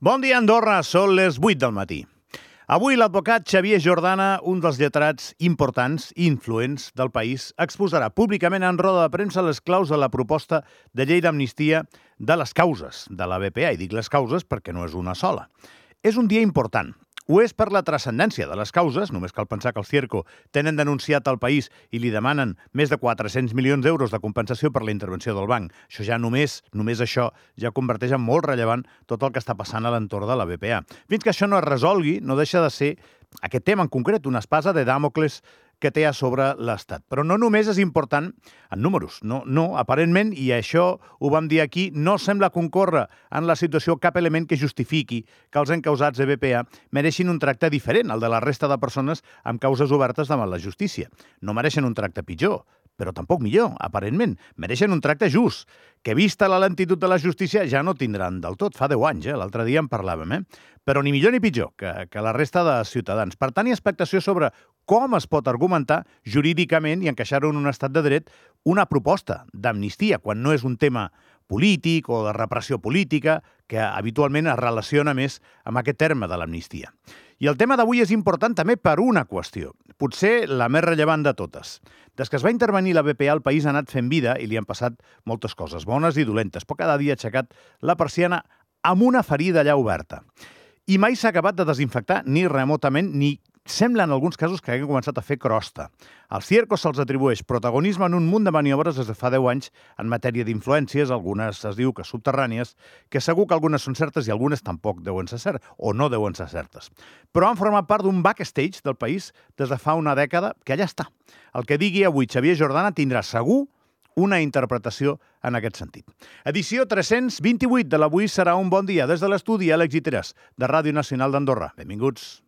Bon dia, Andorra. Són les 8 del matí. Avui l'advocat Xavier Jordana, un dels lletrats importants i influents del país, exposarà públicament en roda de premsa les claus de la proposta de llei d'amnistia de les causes de la BPA. I dic les causes perquè no és una sola. És un dia important. Ho és per la transcendència de les causes, només cal pensar que el Cierco tenen denunciat al país i li demanen més de 400 milions d'euros de compensació per la intervenció del banc. Això ja només això ja converteix en molt rellevant tot el que està passant a l'entorn de la BPA. Fins que això no es resolgui, no deixa de ser aquest tema en concret, una espasa de Dàmocles que té a sobre l'Estat. Però no només és important en números. No, aparentment, i això ho vam dir aquí, no sembla concórrer en la situació cap element que justifiqui que els encausats de BPA mereixin un tracte diferent al de la resta de persones amb causes obertes davant la justícia. No mereixen un tracte pitjor, però tampoc millor, aparentment. Mereixen un tracte just, que vista la lentitud de la justícia ja no tindran del tot. Fa 10 anys, l'altre dia en parlàvem, Però ni millor ni pitjor que la resta de ciutadans. Per tant, hi ha expectació sobre com es pot argumentar jurídicament i encaixar-ho en un estat de dret una proposta d'amnistia, quan no és un tema polític o de repressió política, que habitualment es relaciona més amb aquest terme de l'amnistia. I el tema d'avui és important també per una qüestió, potser la més rellevant de totes. Des que es va intervenir la BPA, el país ha anat fent vida i li han passat moltes coses, bones i dolentes, però cada dia ha aixecat la persiana amb una ferida allà oberta. I mai s'ha acabat de desinfectar ni remotament, ni sembla en alguns casos que hagin començat a fer crosta. Als Cierco se'ls atribueix protagonisme en un munt de maniobres des de fa 10 anys en matèria d'influències, algunes es diu que subterrànies, que segur que algunes són certes i algunes tampoc deuen ser certes, o no deuen ser certes. Però han format part d'un backstage del país des de fa una dècada que allà està. El que digui avui Xavier Jordana tindrà segur una interpretació en aquest sentit. Edició 328 de l'Avui serà un bon dia des de l'estudi Àlex Guiteras, de Ràdio Nacional d'Andorra. Benvinguts.